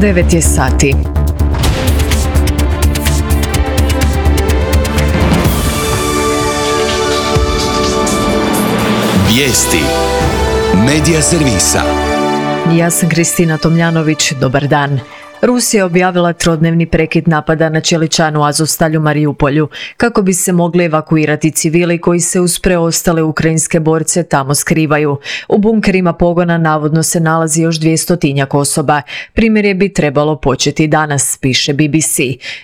9 je sati. Vijesti Medija servisa. Ja sam Kristina Tomljanović, dobar dan. Rusija je objavila trodnevni prekid napada na čeličanu Azovstalju Marijupolju kako bi se mogli evakuirati civili koji se uz preostale ukrajinske borce tamo skrivaju. U bunkerima pogona navodno se nalazi još 200 osoba. Primirje bi trebalo početi danas, piše BBC.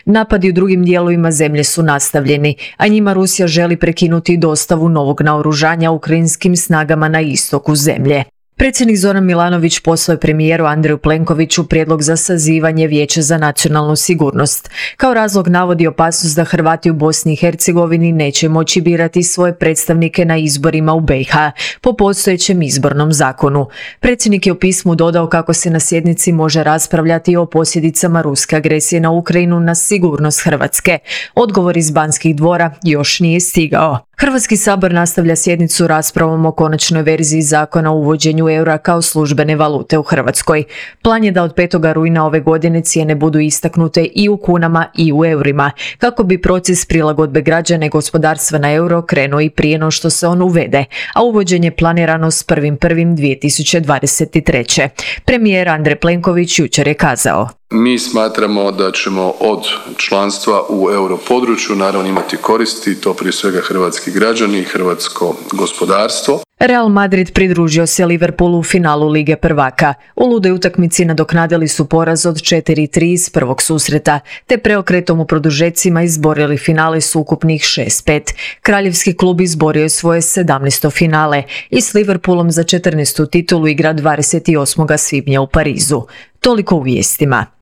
Napadi u drugim dijelovima zemlje su nastavljeni, a njima Rusija želi prekinuti dostavu novog naoružanja ukrajinskim snagama na istoku zemlje. Predsjednik Zoran Milanović poslao je premijeru Andreju Plenkoviću prijedlog za sazivanje Vijeća za nacionalnu sigurnost. Kao razlog navodi opasnost da Hrvati u Bosni i Hercegovini neće moći birati svoje predstavnike na izborima u BiH po postojećem izbornom zakonu. Predsjednik je u pismu dodao kako se na sjednici može raspravljati o posljedicama ruske agresije na Ukrajinu na sigurnost Hrvatske. Odgovor iz Banskih dvora još nije stigao. Hrvatski sabor nastavlja sjednicu raspravom o konačnoj verziji zakona o uvođenju eura kao službene valute u Hrvatskoj. Plan je da od 5. rujna ove godine cijene budu istaknute i u kunama i u eurima, kako bi proces prilagodbe građana i gospodarstva na euro krenuo i prije no što se on uvede, a uvođenje je planirano s 1.1.2023. Premijer Andrej Plenković jučer je kazao: Mi smatramo da ćemo od članstva u europodručju naravno imati koristi, to prije svega hrvatski građani i hrvatsko gospodarstvo. Real Madrid pridružio se Liverpoolu u finalu Lige prvaka. U ludoj utakmici nadoknadili su poraz od 4-3 iz prvog susreta, te preokretom u produžecima izborili finale s ukupnih 6-5. Kraljevski klub izborio je svoje 17. finale i s Liverpoolom za 14. titulu igra 28. svibnja u Parizu. Toliko u vijestima.